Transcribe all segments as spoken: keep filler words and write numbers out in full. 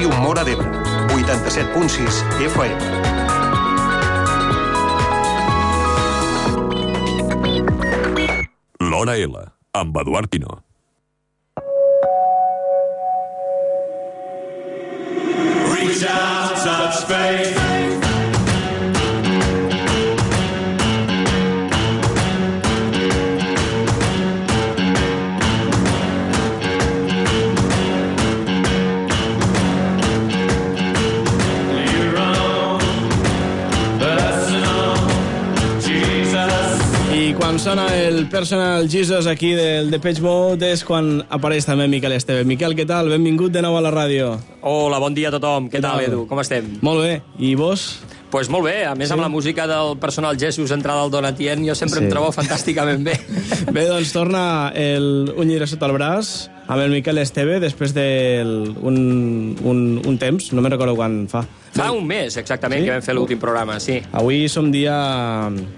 Ràdio Móra d'Ebre, vuitanta-set punt sis F M. L'Hora L, amb Eduard Pino. Reach out, touch faith. Quan sona el Personal Jesus aquí del Depeche Mode és quan apareix també Miquel Esteve. Miquel, què tal? Benvingut de nou a la ràdio. Hola, bon dia a tothom. Què, què tal, tal, Edu? Com estem? Molt bé. I vos? Pues molt bé. A més, sí? Amb la música del Personal Jesus entrada al Donatien, jo sempre sí. Em trobo fantàsticament bé. Bé, doncs torna el Un llibre sota el braç amb el Miquel Esteve després d'un un, un temps, no me'n recordo quan fa. Fa un mes, exactament, sí? Que vam fer l'últim programa, sí. Avui som dia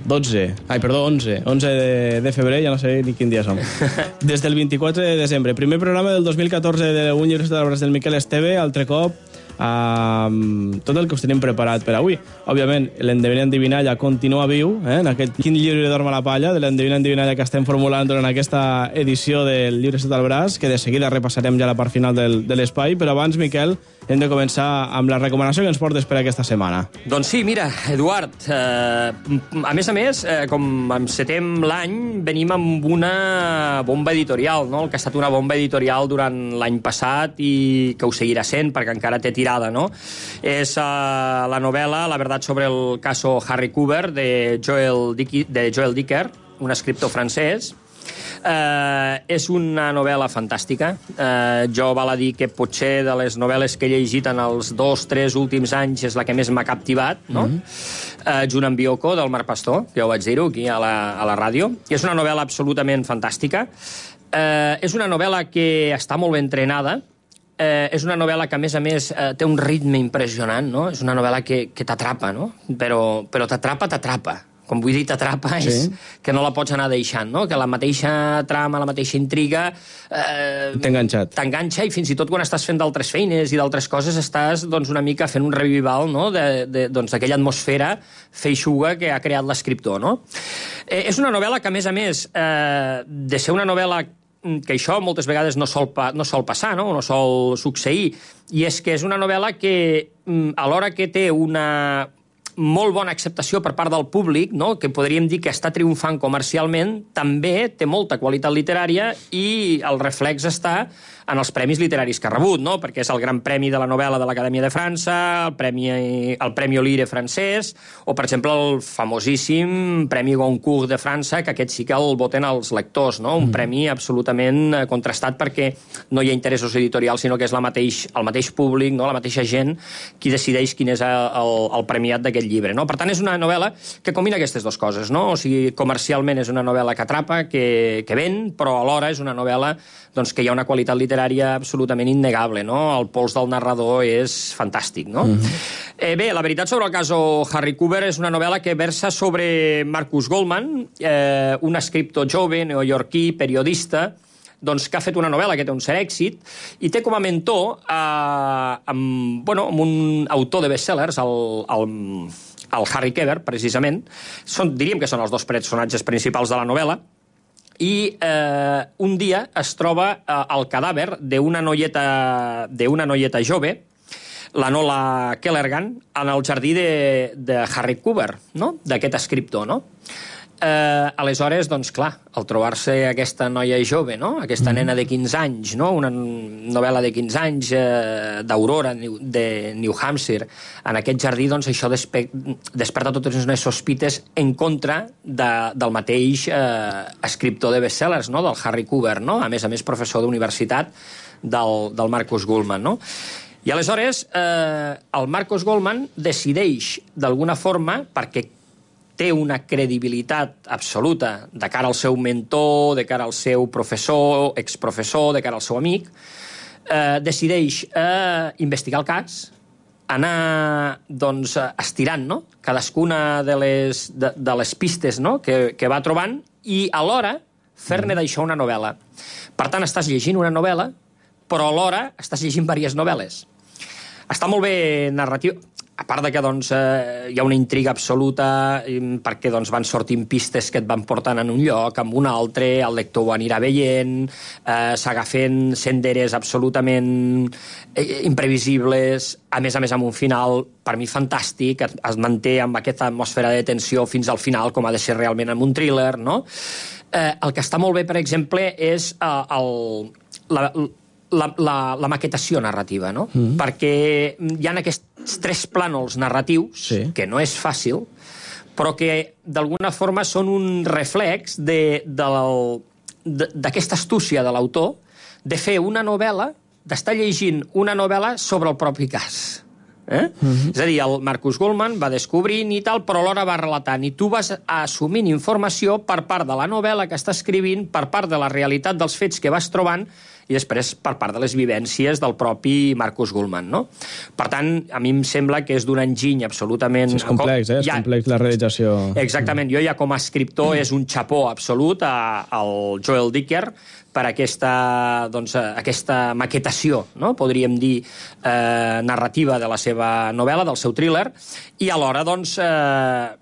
dotze, ai, perdó, onze, onze de, de febrer, ja no sé ni quin dia som. Des del vint-i-quatre de desembre. Primer programa del dos mil catorze de Un llibre sota el braç del Miquel Esteve, altre cop amb tot el que us tenim preparat per avui. Òbviament, l'Endevina Endivinalla continua viu, eh, en aquest Quin llibre dorm a la palla, de l'Endevina Endivinalla que estem formulant durant aquesta edició del Llibre sota el braç, que de seguida repassarem ja la part final del, de l'espai, però abans, Miquel, hem de començar amb la recomanació que ens portes per aquesta setmana. Doncs sí, mira, Eduard, eh, a més a més, eh, com encetem l'any, venim amb una bomba editorial, no? El que ha estat una bomba editorial durant l'any passat i que ho seguirà sent, perquè encara té tirada, no? És eh, la novel·la La verdad sobre el caso Harry Cooper, de Joel, Dick, de Joel Dicker, un escriptor francès. Uh, és una novel·la fantàstica. Uh, jo val a dir que potser de les novel·les que he llegit en els dos, tres últims anys és la que més m'ha captivat, no? Mm-hmm. uh, junt amb Bioko, del Marc Pastor, que ja ho vaig dir-ho aquí a la, a la ràdio. I és una novel·la absolutament fantàstica. Uh, és una novel·la que està molt ben entrenada. Uh, és una novel·la que, a més a més, uh, té un ritme impressionant, no? És una novel·la que, que t'atrapa, no? Però, però t'atrapa, t'atrapa. Com vull dir, t'atrapa, sí. És que no la pots anar deixant, no? Que la mateixa trama, la mateixa intriga... Eh, T'ha enganxat. T'enganxa, i fins i tot quan estàs fent d'altres feines i d'altres coses estàs doncs, una mica fent un revival, no? de, de, doncs, d'aquella atmosfera feixuga que ha creat l'escriptor, no? Eh, és una novel·la que, a més a més, eh, de ser una novel·la que això moltes vegades no sol, pa, no sol passar, no? No sol succeir, i és que és una novel·la que, alhora que té una... molt bona acceptació per part del públic, no? Que podríem dir que està triomfant comercialment, també té molta qualitat literària i el reflex està en els premis literaris que ha rebut, no? Perquè és el Gran Premi de la Novel·la de l'Acadèmia de França, el Premi, el Premi Olire francès, o, per exemple, el famosíssim Premi Goncourt de França, que aquest sí que el voten els lectors, no? Un mm. premi absolutament contrastat perquè no hi ha interessos editorials, sinó que és la mateix, el mateix públic, no? La mateixa gent qui decideix quin és el, el, el premiat d'aquest llibre, no? Per tant, és una novel·la que combina aquestes dues coses, no? O sigui, comercialment és una novel·la que atrapa, que, que ven, però alhora és una novel·la doncs, que hi ha una qualitat literària absolutament innegable, no? El pols del narrador és fantàstic, no? Mm-hmm. Eh, bé, la veritat sobre el cas Harry Cooper és una novel·la que versa sobre Marcus Goldman, eh, un escriptor jove, neoyorquí, periodista, doncs, que ha fet una novel·la que té un cert èxit i té com a mentor eh, amb, bueno, amb un autor de bestsellers, el, el, el Harry Keber, precisament. Són, diríem que són els dos personatges principals de la novel·la. I eh, un dia es troba eh, el cadàver d'una noieta, d'una noieta jove, la Nola Kellergan, en el jardí de, de Harry Cooper, no? D'aquest escriptor, no? Eh, aleshores, doncs clar, al trobar-se aquesta noia jove, no? Aquesta mm. nena de quinze anys, no? Una novel·la de quinze anys eh, d'Aurora, de New Hampshire, en aquest jardí, doncs això despe desperta totes unes sospites en contra de, del mateix eh, escriptor de bestsellers, no? Del Harry Cooper, no? A més a més, professor d'universitat del, del Marcus Goldman, no? I aleshores, eh, el Marcus Goldman decideix, d'alguna forma, perquè té una credibilitat absoluta de cara al seu mentor, de cara al seu professor, exprofessor, de cara al seu amic, eh, decideix eh, investigar el cas, anar doncs, estirant, no? Cadascuna de les, de, de les pistes, no? que, que va trobant, i alhora fer-ne d'això una novel·la. Per tant, estàs llegint una novel·la, però alhora estàs llegint diverses novel·les. està molt bé narratiu, a part de que doncs, eh, hi ha una intriga absoluta perquè doncs, van sortint pistes que et van portant en un lloc, en un altre, el lector ho anirà veient, eh, s'agafen senderes absolutament eh, imprevisibles, a més a més amb un final per mi fantàstic, es, es manté amb aquesta atmosfera de tensió fins al final, com ha de ser realment en un thriller, no? Eh, el que està molt bé, per exemple, és eh, el, la, la, la, la maquetació narrativa, no? Mm. Perquè hi ha aquests tres plànols narratius, sí. que no és fàcil, però que d'alguna forma són un reflex d'aquesta astúcia de l'autor de fer una novel·la, d'estar llegint una novel·la sobre el propi cas. Eh? Mm-hmm. És a dir, el Marcus Goldman va descobrint i tal, però alhora va relatant, i tu vas assumint informació per part de la novel·la que està escrivint, per part de la realitat dels fets que vas trobant, i després per part de les vivències del propi Marcus Goldman, no? Per tant, a mi em sembla que és d'un enginy absolutament... Sí, és complex, eh? És ja... complex la realització. Exactament. Jo ja com a escriptor és un xapó absolut al Joel Dicker per aquesta, doncs, aquesta maquetació, no? Podríem dir, eh, narrativa de la seva novel·la, del seu thriller, i alhora, doncs, eh,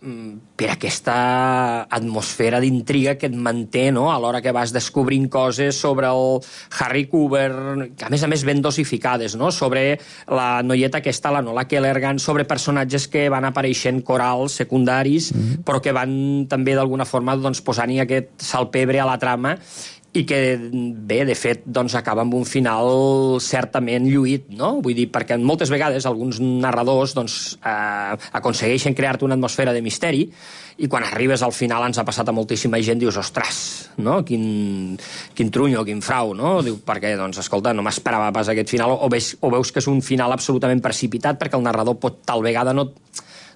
per aquesta atmosfera d'intriga que et manté, no? A l'hora que vas descobrint coses sobre el Harry Cooper, que a més a més ben dosificades, no? Sobre la noieta aquesta, la Nola Kellergan, sobre personatges que van apareixent corals secundaris, mm-hmm. però que van també d'alguna forma doncs, posant-hi aquest salpebre a la trama, i que, bé, de fet, doncs, acaba amb un final certament lluït, no? Vull dir, perquè moltes vegades alguns narradors doncs, eh, aconsegueixen crear-te una atmosfera de misteri i quan arribes al final, ens ha passat a moltíssima gent, dius, ostres, no? Quin, quin trunyo, quin frau, no? Diu, perquè, doncs, escolta, no m'esperava pas aquest final, o veus, o veus que és un final absolutament precipitat perquè el narrador pot tal vegada no...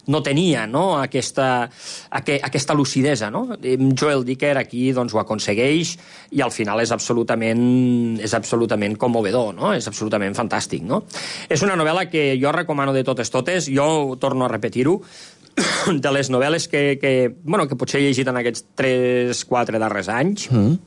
no tenia, no? Aquesta, aquesta lucidesa, no? Joel Dicker aquí doncs, ho aconsegueix i al final és absolutament, és absolutament commovedor, no? És absolutament fantàstic, no? És una novel·la que jo recomano de totes totes, jo torno a repetir-ho, de les novel·les que, que, bueno, que potser he llegit en aquests tres quatre darrers anys. Mm.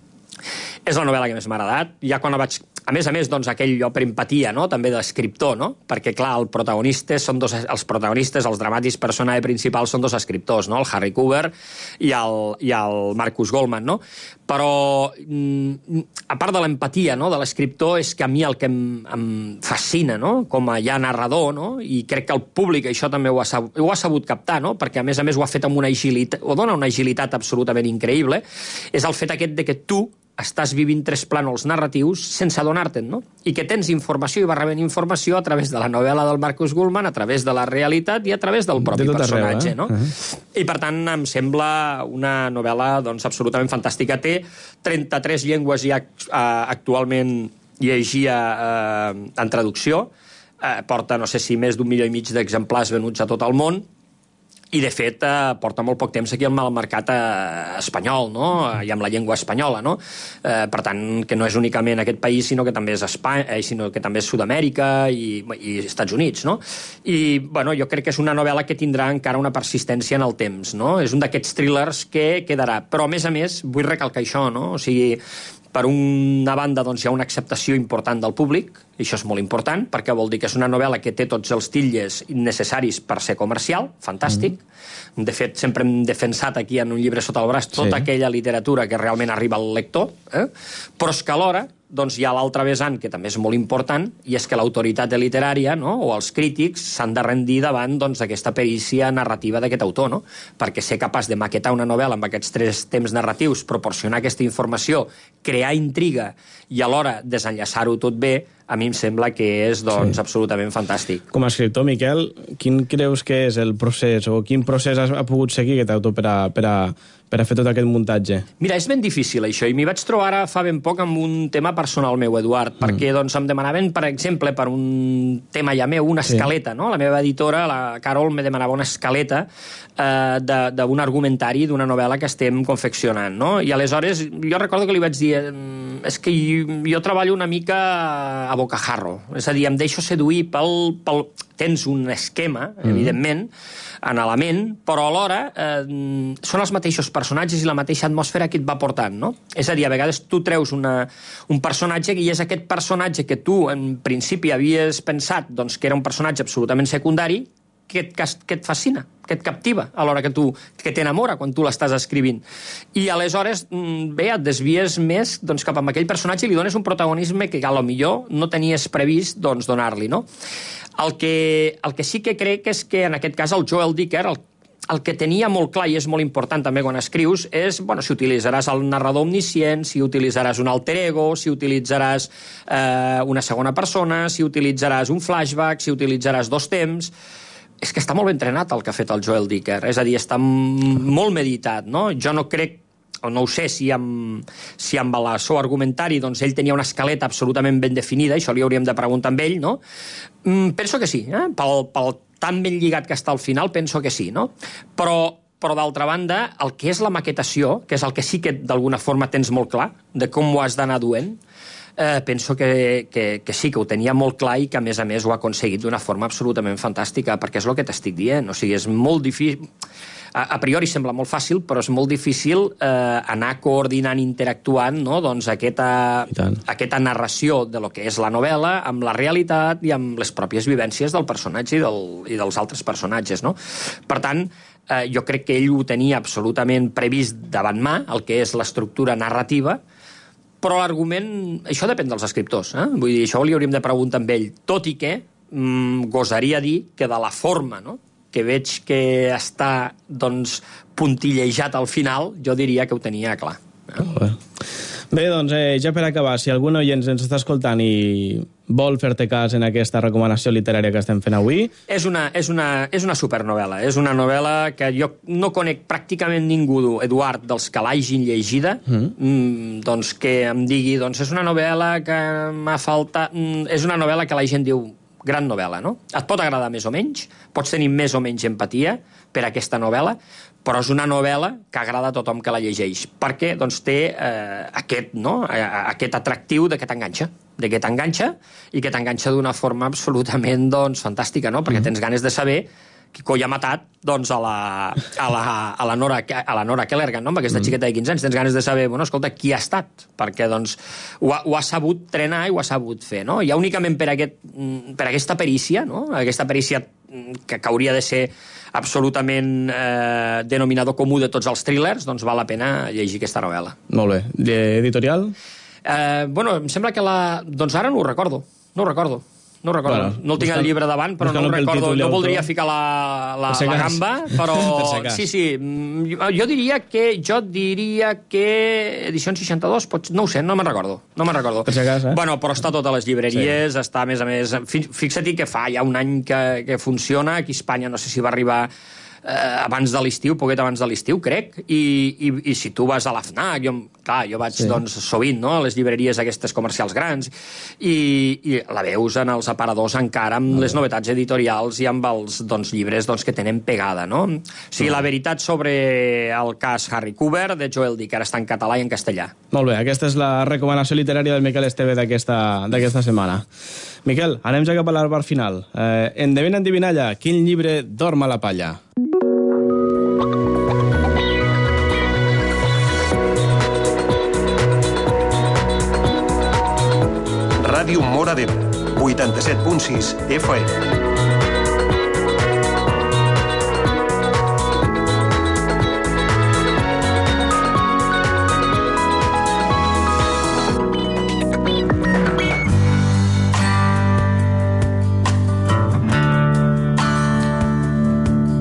És la novel·la que més m'ha agradat. Ja quan la vaig... A més a més, doncs, aquell jo per empatia, no?, també d'escriptor, no? Perquè, clar, el protagonistes són dos, els protagonistes, els dramàtics personatge principal són dos escriptors, no?, el Harry Cooper i el, i el Marcus Goldman, no? Però, a part de l'empatia, no?, de l'escriptor, és que a mi el que em, em fascina, no?, com a ja narrador, no?, i crec que el públic això també ho ha, sabut, ho ha sabut captar, no?, perquè a més a més ho ha fet amb una agilitat, o dona una agilitat absolutament increïble, és el fet aquest de que tu estàs vivint tres plànols narratius sense adonar-te'n, no? I que tens informació i vas rebent informació a través de la novel·la del Marcus Goldman, a través de la realitat i a través del propi de personatge, arreu, eh? No? Uh-huh. I, per tant, em sembla una novel·la doncs, absolutament fantàstica. Té trenta-tres llengües ja actualment llegia eh, en traducció. Eh, porta, no sé si més d'un milió i mig d'exemplars venuts a tot el món. I, de fet, eh, porta molt poc temps aquí al mercat eh, espanyol, no?, i amb la llengua espanyola, no? Eh, per tant, que no és únicament aquest país, sinó que també és Espanya, eh, sinó que també és Sud-amèrica i, i Estats Units, no? I, bueno, jo crec que és una novel·la que tindrà encara una persistència en el temps, no? És un d'aquests thrillers que quedarà. Però, a més a més, vull recalcar això, no? O sigui, per una banda, doncs, hi ha una acceptació important del públic, i això és molt important, perquè vol dir que és una novel·la que té tots els tildes necessaris per ser comercial, fantàstic. Mm. De fet, sempre hem defensat aquí en un llibre sota el braç tota sí. aquella literatura que realment arriba al lector, eh? Però és que alhora doncs hi ha l'altre vessant, que també és molt important, i és que l'autoritat literària, no?, o els crítics s'han de rendir davant doncs, aquesta perícia narrativa d'aquest autor, no? Perquè ser capaç de maquetar una novel·la amb aquests tres temps narratius, proporcionar aquesta informació, crear intriga i alhora desenllaçar-ho tot bé, a mi em sembla que és doncs, sí. absolutament fantàstic. Com a escriptor, Miquel, quin creus que és el procés, o quin procés ha pogut seguir aquest autor per a, per a, per a fer tot aquest muntatge? Mira, és ben difícil això, i m'hi vaig trobar ara fa ben poc amb un tema personal meu, Eduard, mm. perquè doncs, em demanaven, per exemple, per un tema ja meu, una escaleta, sí. no? La meva editora, la Carol, me demanava una escaleta eh, d'un argumentari d'una novel·la que estem confeccionant, no? I aleshores jo recordo que li vaig dir és que jo, jo treballo una mica a bocajarro, és a dir, em deixo seduir pel, pel... tens un esquema, mm. evidentment, en la ment, però alhora eh, són els mateixos personatges i la mateixa atmosfera que et va portant, no? És a dir, a vegades tu treus una, un personatge i és aquest personatge que tu, en principi, havies pensat doncs, que era un personatge absolutament secundari, que et, que et fascina, que et captiva a l'hora que tu, que t'enamora quan tu l'estàs escrivint. I aleshores, bé, et desvies més doncs, cap a aquell personatge i li dones un protagonisme que a lo millor no tenies previst doncs, donar-li, no? El que, el que sí que crec és que en aquest cas el Joel Dicker, el, el que tenia molt clar i és molt important també quan escrius és, bueno, si utilitzaràs el narrador omniscient, si utilitzaràs un alter ego, si utilitzaràs eh, una segona persona, si utilitzaràs un flashback, si utilitzaràs dos temps. És que està molt ben entrenat el que ha fet el Joel Dicker, és a dir, està molt meditat, no? Jo no crec, o no ho sé, si amb, si amb el seu argumentari doncs, ell tenia una escaleta absolutament ben definida, això li hauríem de preguntar amb ell, no? Mm, penso que sí, eh? pel, pel tan ben lligat que està al final, penso que sí, no? Però, però d'altra banda, el que és la maquetació, que és el que sí que d'alguna forma tens molt clar, de com ho has d'anar duent, Eh, penso que, que, que sí, que ho tenia molt clar i que, a més a més, ho ha aconseguit d'una forma absolutament fantàstica, perquè és el que t'estic dient. O sigui, és molt difícil... A, a priori sembla molt fàcil, però és molt difícil eh, anar coordinant, interactuant, no? doncs aquesta, aquesta narració de lo que és la novel·la amb la realitat i amb les pròpies vivències del personatge i, del, i dels altres personatges, no? Per tant, eh, jo crec que ell ho tenia absolutament previst davant mà, el que és l'estructura narrativa, però l'argument... Això depèn dels escriptors, eh? Vull dir, això li hauríem de preguntar amb ell. Tot i que mm, gosaria dir que de la forma, no?, que veig que està, doncs, puntillejat al final, jo diria que ho tenia clar. Eh? Bé. Bé, doncs, eh, ja per acabar, si algun oient ens està escoltant i vol fer-te cas en aquesta recomanació literària que estem fent avui... És una, és una, és una supernovel·la. És una novel·la que jo no conec pràcticament ningú, Eduard, dels que l'hagin llegida, mm. Mm, doncs que em digui, doncs és una novel·la que m'ha faltat... Mm, és una novel·la que la gent diu gran novel·la, no? Et pot agradar més o menys, pots tenir més o menys empatia per aquesta novel·la, però és una novel·la que agrada a tothom que la llegeix, perquè doncs, té eh, aquest, no? aquest atractiu de que t'enganxa, de que t'enganxa i que t'enganxa d'una forma absolutament doncs, fantàstica, no? Perquè tens ganes de saber qui coi ha matat doncs, a, la, a, la, a, la Nora, a la Nora Kellergan, no? Amb aquesta xiqueta de quinze anys. Tens ganes de saber, bueno, escolta, qui ha estat? Perquè doncs, ho, ha, ho ha sabut trenar i ho ha sabut fer, no? Ja únicament per, aquest, per aquesta perícia, no? Aquesta perícia que, que hauria de ser absolutament eh, denominador comú de tots els thrillers, doncs val la pena llegir aquesta novel·la. Molt bé. Editorial? Eh, bueno, em sembla que la... Doncs ara no ho recordo. No ho recordo. No ho recordo. Bueno, no el tinc al llibre davant, però no ho recordo. No voldria ficar la, la, la gamba, però... sí, sí. Jo diria que... Jo diria que... Edició seixanta-dos, pots... no ho sé, no me'n recordo. No me'n recordo. Per si cas, eh? Bueno, però està a totes les llibreries, sí. Està, a més a més... Fixa-t'hi que fa ja un any que, que funciona. Aquí a Espanya no sé si va arribar... Eh, abans de l'estiu, poquet abans de l'estiu, crec, i, i, i si tu vas a la FNAC, jo, clar, jo vaig sí. doncs, sovint no, a les llibreries aquestes comercials grans, i, i la veus en els aparadors encara amb no, les novetats editorials i amb els doncs, llibres doncs, que tenen pegada, no? O sigui, no. La veritat sobre el cas Harry Cooper de Joel Dicker està en català i en castellà. Molt bé, aquesta és la recomanació literària del Miquel Esteve d'aquesta setmana. Miquel, anem ja cap a la part final. Eh, endevina, endivinalla, quin llibre dorm a la palla? Ràdio Móra d'Ebre, vuitanta-set punt sis F M.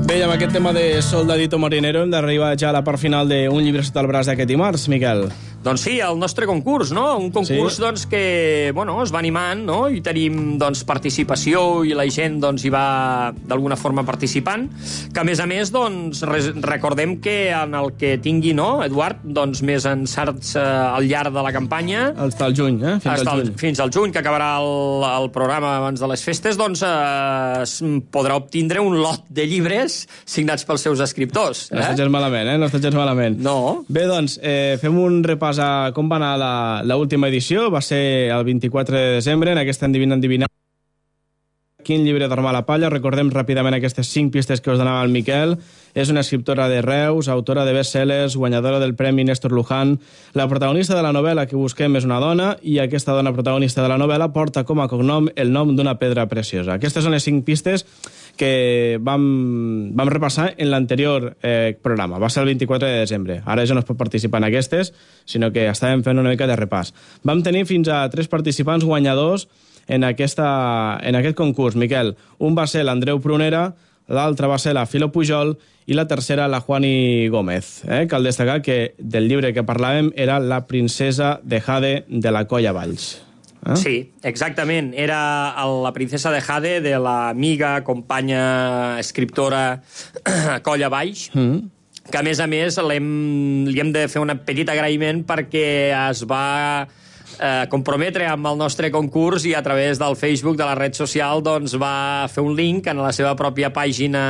Bé, amb aquest tema de Soldadito Marinero hem d'arribar ja a la part final d'un llibre sota el braç d'aquest dimarts, Miquel. Doncs sí, el nostre concurs, no? Un concurs sí. doncs, que bueno, es va animant, no? I tenim doncs, participació i la gent doncs, hi va d'alguna forma participant, que a més a més doncs, recordem que en el que tingui, no, Eduard, doncs, més encerts eh, al llarg de la campanya... Fins al juny, eh? Fins al juny. Fins al juny, que acabarà el, el programa abans de les festes, doncs eh, podrà obtindre un lot de llibres signats pels seus escriptors. Eh? No estàs gens malament, eh? No estàs gens malament. No. Bé, doncs, eh, fem un repàs a com va anar l'última edició. Va ser el vint-i-quatre de desembre, en aquesta Endivina Endivina Quin llibre dorm a la palla? Recordem ràpidament aquestes cinc pistes que us donava el Miquel. És una escriptora de Reus, autora de best-sellers, guanyadora del Premi Néstor Luján. La protagonista de la novel·la que busquem és una dona i aquesta dona protagonista de la novel·la porta com a cognom el nom d'una pedra preciosa. Aquestes són les cinc pistes que vam, vam repassar en l'anterior eh, programa. Va ser el vint-i-quatre de desembre. Ara ja no es pot participar en aquestes, sinó que estàvem fent una mica de repàs. Vam tenir fins a tres participants guanyadors en, aquesta, en aquest concurs. Miquel, un va ser l'Andreu Prunera, l'altre va ser la Filo Pujol i la tercera la Juani Gómez. Eh? Cal destacar que del llibre que parlàvem era La princesa de Jade de la Colla Valls. Eh? Sí, exactament. Era el, la princesa de Jade de l'amiga, companya, escriptora Colla Valls, mm. que a més a més l'hem, li hem de fer un petit agraïment perquè es va eh, comprometre amb el nostre concurs i a través del Facebook, de la red social, doncs va fer un link en la seva pròpia pàgina,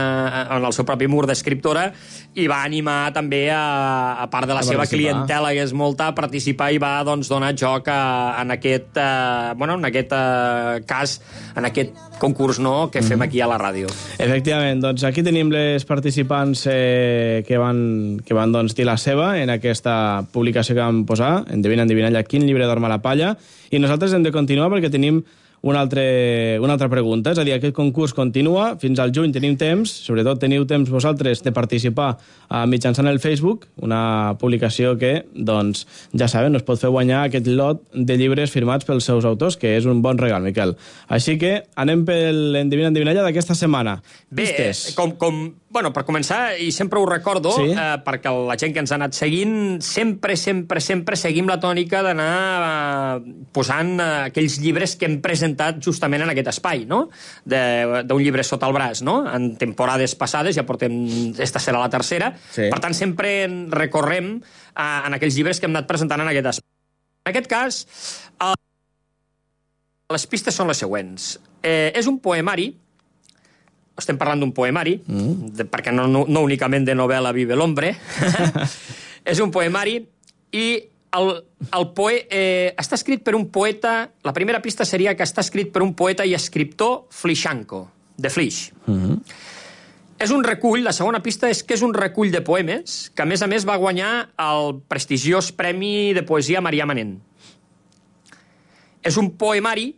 en el seu propi mur d'escriptora, i va animar també, a, a part de la a seva clientela, que és molta, a participar, i va doncs, donar joc a, en aquest, eh, bueno, en aquest eh, cas, en aquest concurs, no?, que fem mm-hmm. aquí a la ràdio. Efectivament, doncs aquí tenim les participants eh, que van, que van doncs, dir la seva en aquesta publicació que vam posar, endevina, endevinalla, quin llibre dorm a la palla, i nosaltres hem de continuar perquè tenim una, altre, una altra pregunta, és a dir, aquest concurs continua, fins al juny tenim temps, sobretot teniu temps vosaltres de participar uh, mitjançant el Facebook, una publicació que, doncs, ja saben, us pot fer guanyar aquest lot de llibres firmats pels seus autors, que és un bon regal, Miquel. Així que anem pel endevina, endevinalla d'aquesta setmana. Bé, eh, com, com, bueno, per començar, i sempre ho recordo, sí? eh, perquè la gent que ens ha anat seguint, sempre, sempre, sempre seguim la tònica d'anar eh, posant eh, aquells llibres que hem presentat justament en aquest espai, no?, d'un llibre sota el braç, no?, en temporades passades, ja portem, esta serà la tercera, sí. Per tant, sempre recorrem eh, en aquells llibres que hem anat presentant en aquest espai. En aquest cas, eh, les pistes són les següents. Eh, és un poemari, estem parlant d'un poemari, mm. de, perquè no, no, no únicament de novel·la vive l'hombre, és un poemari, i el, el poe, eh, està escrit per un poeta, la primera pista seria que està escrit per un poeta i escriptor flixanco, de Flix. Mm-hmm. És un recull, la segona pista és que és un recull de poemes, que a més a més va guanyar el prestigiós Premi de Poesia Marià Manent. És un poemari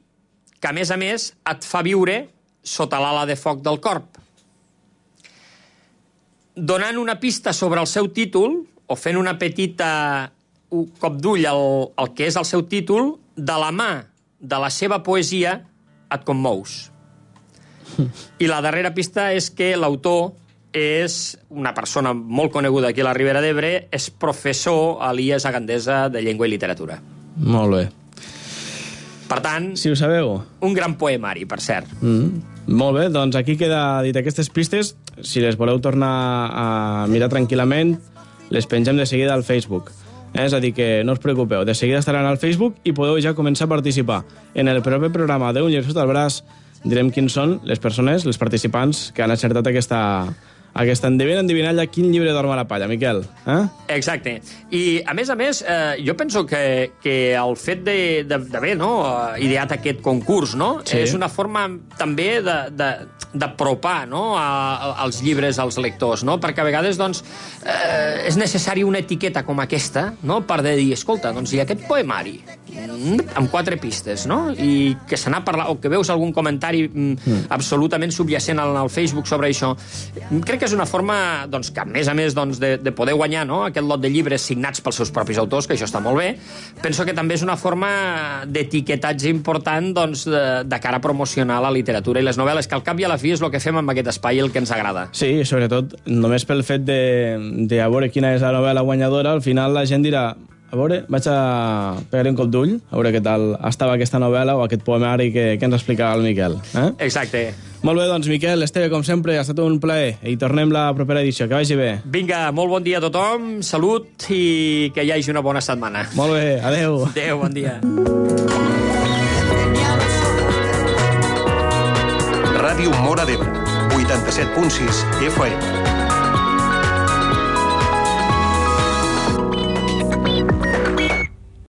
que a més a més et fa viure sota l'ala de foc del corp. Donant una pista sobre el seu títol, o fent una petita un cop d'ull al, al que és el seu títol, de la mà de la seva poesia et commous. I la darrera pista és que l'autor és una persona molt coneguda aquí a la Ribera d'Ebre, és professor a l'I E S a Gandesa de Llengua i Literatura. Molt bé. Per tant, si ho sabeu, un gran poemari, per cert. Mm. Molt bé, doncs aquí queda dit aquestes pistes. Si les voleu tornar a mirar tranquil·lament, les pengem de seguida al Facebook. És a dir, que no us preocupeu, de seguida estaran al Facebook i podeu ja començar a participar. En el proper programa d'Un llibre sota el braç direm quins són les persones, les participants que han acertat aquesta, aquesta endevina, endevinalla quin llibre dorm a la palla, Miquel. Eh? Exacte. I, a més a més, eh, jo penso que, que el fet d'haver no, ideat aquest concurs, no, sí. És una forma també d'apropar no, a, a, als llibres als lectors, no? Perquè a vegades doncs, eh, és necessari una etiqueta com aquesta, no? Per de dir, escolta, doncs hi ha aquest poemari mm, amb quatre pistes, no? I que se n'ha parlat, o que veus algun comentari mm. absolutament subjacent al, al Facebook sobre això. Crec que és una forma doncs, que, a més a més doncs, de, de poder guanyar no? Aquest lot de llibres signats pels seus propis autors, que això està molt bé, penso que també és una forma d'etiquetatge important doncs, de, de cara a promocionar la literatura i les novel·les, que al cap i a la fi és el que fem amb aquest espai i el que ens agrada. Sí, sobretot, només pel fet de, de a veure quina és la novel·la guanyadora, al final la gent dirà, a veure, vaig a pegar-li un cop d'ull, a veure què tal estava aquesta novel·la o aquest poemari que, que ens explicava el Miquel. Eh? Exacte. Molt bé, doncs, Miquel, Esteve, com sempre, ha estat un plaer. I tornem la propera edició. Que vagi bé. Vinga, molt bon dia a tothom, salut i que hi hagi una bona setmana. Molt bé, adeu. Adeu, bon dia. Ràdio Móra d'Ebre, vuitanta-set punt sis F M.